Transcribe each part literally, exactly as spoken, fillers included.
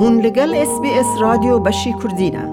Hûn li gel S B S Radyo Beşî Kurdî ne.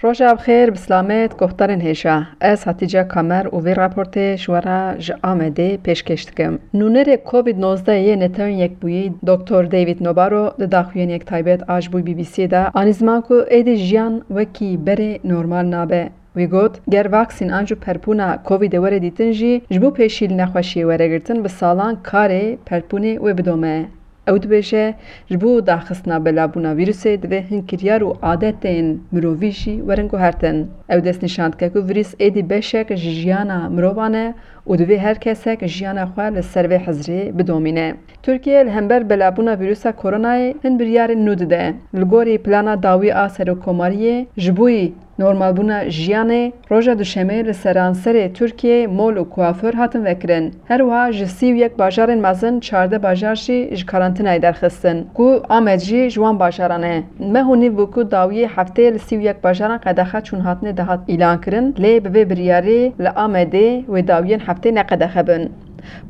Roja bi xêr, bi silamet, guhdarên hêja. Ez Hatice Kamer û vê raportê ji we re ji Amedê pêşkêş dikim. Nûnerê Covid nozdeh yê Netewên Yekbûyî Doktor David Nabarro di daxuyaniyek taybet a ji bo B B C de anî ziman ku êdî jiyan wekî berê normal nabe. Wî got, ger vaksîn an jî perpûna Covidê were dîtin jî, ji bo pêşî li nexweşiyê were girtin, bi salan karê perpûnê wê bidome. Ew dibêje, ji bo daxistina belavbûna vîrusê divê hin kiryar û adetên mirovî jî werin guhertin. Ew destnîşan dike ku vîrus êdî beşek ji jiyana mirovan e û divê her kesek jiyana xwe li ser vê hizrê bidomîne. Tirkiye li hember belavbûna vîrusa koronayê hin biryarên nû dide. Li gorî plana dawî a Serokkomariyê, ji bo normalbûna jiyanê, roja Duşemê li seranserê Tirkiyeyê mol û kuaför hatin vekirin. Her wiha ji sî û yek bajarên mezin çardeh bajar jî ji karantînayê derxistin, ku Amed jî ji wan bajaran e. Meh û nîv bû ku dawiyê hefteyê li sî û yek bajaran qedexe çûnhatinê dihat îlankirin, lê bi vê biryarê li Amedê wê dawiyên hefteyê ne qedexe bin.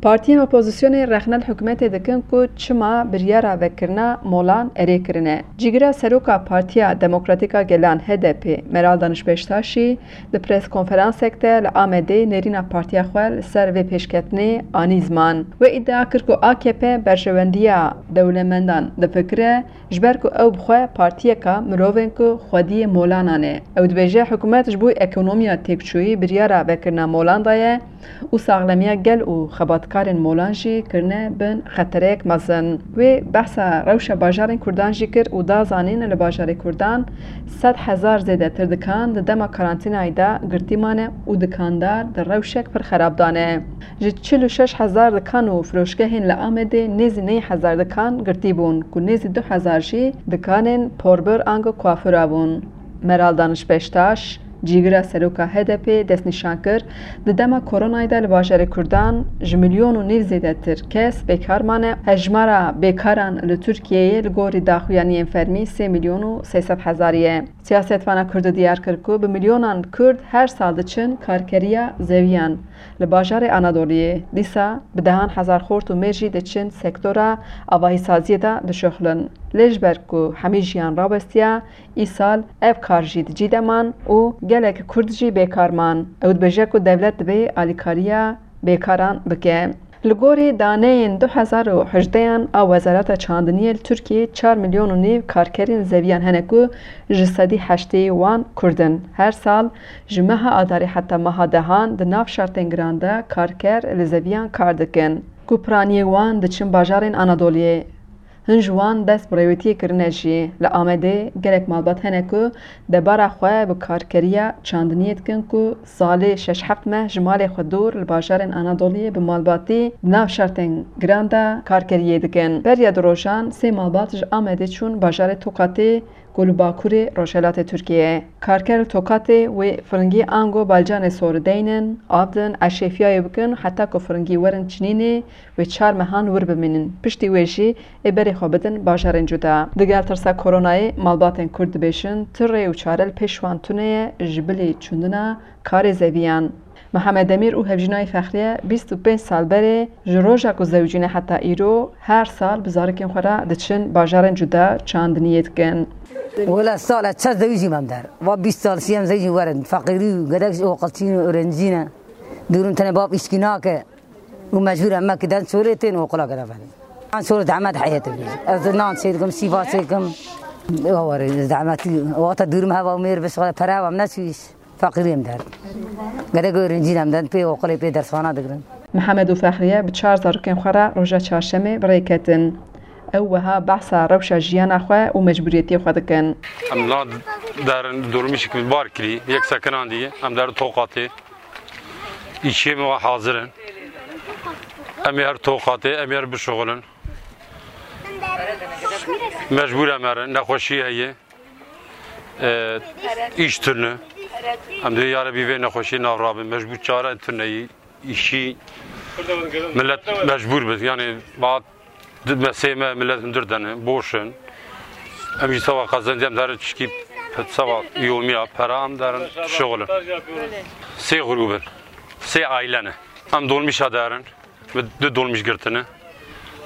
Partiyên opozisyonê rexne li hikûmetê dikin ku çima biryara vekirina molan erê kirine. Cîgira seroka Partiya Demokratîk a Gelan, H D P, Meral Danış Beştaşî di pres konferansek de li Amedê nêrîna partiya xwe li ser vê pêşketinê anî ziman. Wê îdia kir ku A K P berjewendiya dewlemendan difikire, ji ber ku ew bi xwe partiyeka mirovên ku xwediyê molanan e. Ew dibêje, hikûmet ji bo ekonomiya têkçûyî biryara vekirina molan daye û saxlemiya gel û xebatkarên molan jî kirine bin xetereyek mezin. Wê behsa rewşa bajarên Kurdan jî kir û da zanîn, li bajarê Kurdan sed hezar zêdetir dikan di dema karantînayê de girtî mane û dikandar di rewşek pir xerab de ne. Ji çil û şeş hezar dikan û firoşgehên li Amedê nêzî neh hezar dikan girtî bûn, ku nêzî du hezar jî dikanên porbir ango kuafura bûn. Meral Danış Beştaş, cîgira seroka H D P, destnîşan kir, di dema koronayê de li bajarê Kurdan ji milyon û nîv zêdetir kes bêkar mane. Hejmara bêkaran li Tirkiyeyê li gorî daxuyaniyên fermî sê milyon û sê sed hezarî ye. Siyasetvana Kurd diyar kir ku bi milyonan Kurd her sal diçin karkeriya zeviyan li bajarê Anadoliyê. Dîsa bi dehan hezar xort û mêr jî diçin sektora avahîsaziyê de dişuxlin. Lê ji ber ku hemî jiyan rawestiya, îsal ev kar jî di cî de man û gelek Kurd jî bêkar man. Ew dibêje ku dewlet divê alîkariya bêkaran bike. Li gorî daneyên du hezar û hejdeyan a Wezareta Çandiniyê, li Tirkiyeyê çar milyon û nîv karkerên zeviyan hene ku ji sedî heştê wan Kurd in. Her sal ji meha Adarê heta meha dehan di nav şertên giran de karker li zeviyan kar dikin, ku piraniyê wan diçin bajarên Anadoliyê. Hin ji wan dest bi rêwîtiyê kirine jî. Li Amedê gelek malbat hene ku debara xwe bi karkeriya çandiniyê dikin ku salê şeş heft meh ji malê xwe dûr li bajarên Anadoliyê bi malbatî di nav şertên giran de karkeriyê dikin. Beriya du rojan sê malbat ji Amedê çûn bajarê Tokatê ku li bakurê rojhilatê Tirkiyeyê ye. Karker li Tokatê wê firingî ango balcanê sor deynin, av din, eşêfiyayê bikin heta ku firingî werin çinînê wê çar mehan wir bimînin. Piştî wê jî ê berê xwe bidin bajarên cuda. Digel tirsa koronayê malbatên Kurd dibêjin, tu rê û çare li pêş wan tune ye ji bilî çûndina karê zeviyan. Mihemed Demîr û hevjîna wî Fexriye bîst û pênc sal berê ji roja ku zewicîne heta îro her sal bi zarokên xwe re diçin bajarên cuda çandiniyê dikin. Wela sala çar zewicî mam der. Va bîst sal siyem zewicî werin. Feqîrî û gedek ji oqilçîn û öğrencî ne. Durum tenê bab îşkî nake. Û mecbûr em me ki den çolê tên oqula gere venê. An çolê zehmet heyetê bî. Ez nan çêdikim, sîva çêdikim. Awarê zehmetî. Wata durum heva û mêr bişixile pere heva em neçû îş. Feqîrî em der. Gerek öğrencî em den pê oqilê pê dersxana digirin. Mihemed û Fexriye bi çar zarokên xwe re roja çarşemê bi rê ketin. Ew wiha behsa rewşa jiyana xwe û mecbûriyetiyê xwe dikin. Em na derin dolmîşik bar kirî, yek sekinandî, em der Tokatê. Îşê me hazir in. Em ê her Tokatê, em ê her bişuxulin. Mecbûr em herin, nexweşî heye. E, îş tune. Em dê ya Rebî vê nexweşî nav rabin. Mecbûr çare tune yî. Îşî millet mecbûr bit. Yani, ma di mesê me millet hundir dene, boş in. Em jî sava qezencî em derin çişkî pet sava yomiya pera em derin şixulin. Sê grûb in. Sê aile ne. Em dolmîşa derin. Min du dolmîş girtine.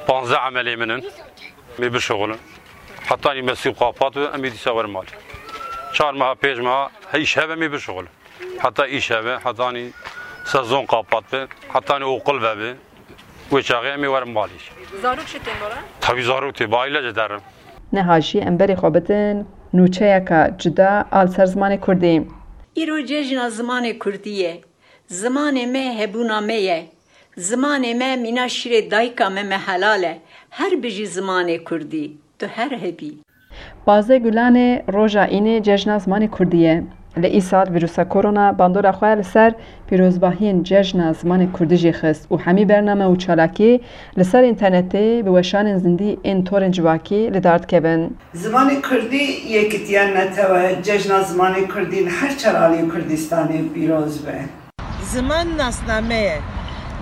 Panzdeh emelê min in. Em ê bişixulin. Hetanî mesîr qapat be, em ê dîsa werin malê. Çar meha, pênc meha, he îş hebe em ê bişuxulin. Heta îş hebe, hetanî sezon qapat be, hetanî oqil vebe. Wê çaxê em ê werin malê. Zarok jî tên bora? Tabî zarok tê, bi aîle jî derin. Niha jî em berê xwe bidin nûçeyeka cuda a li ser zimanê kurdî. Îro cejna zimanê kurdî ye. Zimanê me hebûna me ye. Zimanê me mîna şîrê dayika me, me helal e. Her bijî zimanê kurdî. Tu her hebî. Pazdeh Gulanê roja înê cejna zimanê kurdî ye. Lê îsal vîrusa korona bandora xwe li ser pîrozbahiyên cejna zimanê kurdî jî xist û hemî bername û çalakî li ser înternetê bi weşanên zindî ên torên civakî li dar dikevin. Zimanê kurdî yekitiya netewe cejna zimanê kurdî li her çar aliyên Kurdistanê pîroz be. Ziman nasname ye.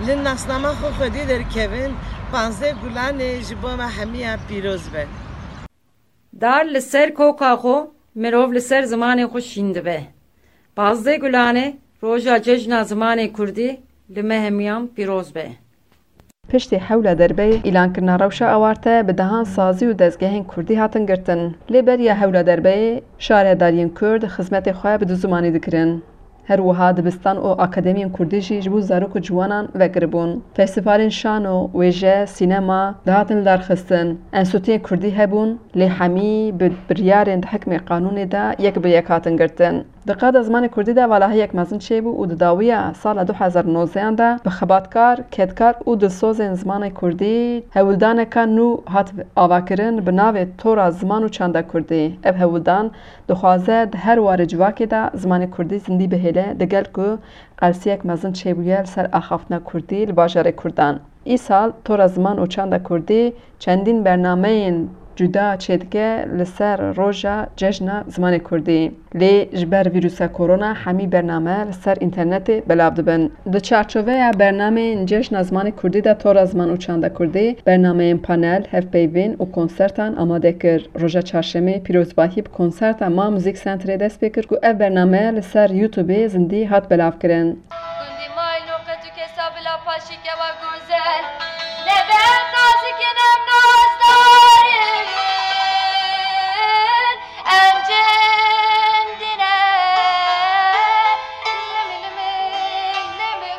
Li nasnama xwe xwedî derkevin, panzdeh Gulanê ji bo me hemiyan pîroz be. Dar li ser koka xwe, mirov li ser zimanê xwe şîn dibe. Pazdeh Gulanê, roja cejna zimanê kurdî li me hemiyan pîroz be. Piştî hewla derbeyê, îlankirina rewşa awarte bi dehan sazî û dezgehên kurdî hatin girtin. Lê beriya hewla derbeyê, şaredariyên kurd xizmetê xwe bi du zimanî dikirin. Her wiha dibistan û akademiyên kurdî jî ji bo zarok û ciwanan vekiribûn. Festîvalên şano, wêje, sînema dihatin lidarxistin. Enstîtuyên kurdî hebûn, lê hemî bi biryarên di hikmê qanûnê de yek bi yek hatin girtin. Di qada zimanê kurdî de valahiyek mezin çêbû û di dawiya sala du hezar û nozdehan de bi xebatkar, kedkar û dilsozên zimanê kurdî hewldaneka nû hat avakirin bi navê Tora Ziman û Çanda Kurdî. Ev hewldan dixwaze di her warê civakê de zimanê kurdî zindî bihêle, digel ku qelsiyek mezin çêbûye li ser axaftina kurdî li bajarê kurdan. Îsal Tora Ziman û Çanda Kurdî çendîn bernameyên cuda çêdike li ser roja cejna zimanê kurdî. Lê ji ber vîrusa korona hemî bername li ser înternetê belav dibin. Di çarçoveya bernameyên cejna zimanê kurdî de Tora Ziman û Çanda Kurdî bernameyên panel, hevpeyvên û konsertan amade kir. Roja çarşemê pîrozbahî bi konserta Ma Muzîk Centerê dest pê kir ku ev bername li ser YouTubeê zindî hat belavkirin. Gundî Maylo qet û kesa bila paşî kewa gozel. Nebe em nazik in, em nazdar in. Em cindî ne. Limî, limî, limî.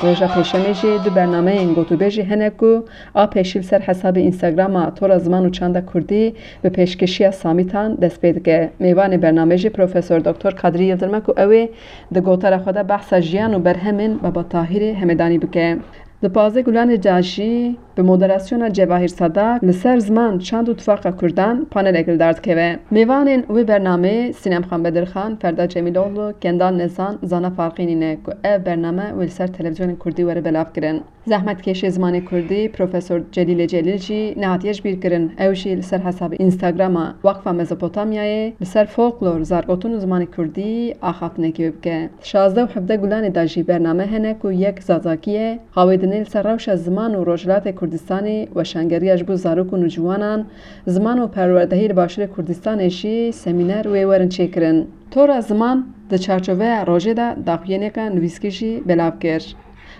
Roja Pêşemê jî du bernameyên gotûbêjî hene ku a pêşî li ser hesabê Instagrama Tora Ziman û Çanda Kurdî bi pêşkêşiya Samîtan dest pê dike. Mêvanê bernamê jî Profesor Doktor Kadrî Yildirim e ku ew ê di gotara xwe de behsa jiyan û berhemên Baba Tahîrê Hemedanî bike. Di pazdeh Gulanê de jî bi moderasyona Cevahîr Sadak li ser ziman, çand û tifaqa kurdan panelek li dar dikeve. Mêvanên wê bernameyê Sînem Xan Bedirxan, Ferda Cemîloglu, Kendal Nezan, Zana Farqînî ne ku ev bername wê li ser televîzyonên kurdî were belavkirin. Zehmetkêşê zimanê kurdî Profesor Celîlê Celîl jî nehatiye jibîrkirin. Ew jî li ser hesabê Instagrama Waqfa Mezopotamyayê li ser folklor, zargotin û zimanê kurdî axaftinekê wê bike. Şazdeh û hevdeh Gulanê de jî bername hene ku yek Zazakî ye, Hawêdinê li ser rewşa ziman û Rojhilatê Kurdistanê, weşangeriya ji bo zarok û nûciwanan, ziman û perwerdehî li Başûrê Kurdistanê jî semîner wê werin çêkirin. Tora Ziman di çarçoveya rojê de daxuyaniyeka nivîskî jî belav kir.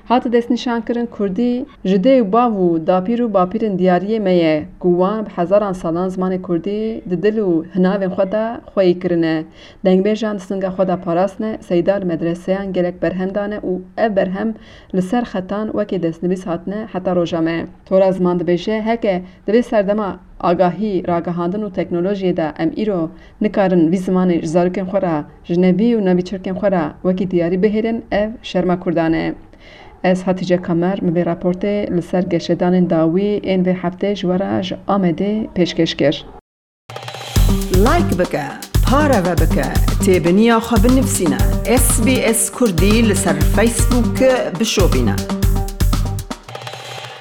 Hate destnîşankirin, kurdî ji dê û bav û dapîr û bapîrên diyariyê me ye ku wan bi hezaran salan zimanê kurdî di dil û hinavên xwe de xweyî kirine. Dengbêjan di singa xwe de parastine, seyda li medreseyan gelek berhem dane û ev berhem li ser xetan wekî destnivîs hatine heta roja me. Tora Ziman dibêje, heke di vê serdema agahî, ragihandin û teknolojiyê de em îro nikarin vî zimanê ji zarokên xwe re, ji nevî û nevîçirkên xwe re wekî diyarî bihêlin, ev şerma kurdan e. Ez Hatîce Kamer, min vê raportê li ser geşedanên dawî ên vê heftê ji we re ji Amedê pêşkêş kir. Like bike, pareve bike, têbiniya xwe binivîsîne. S B S Kurdî li ser Facebook bişopîne.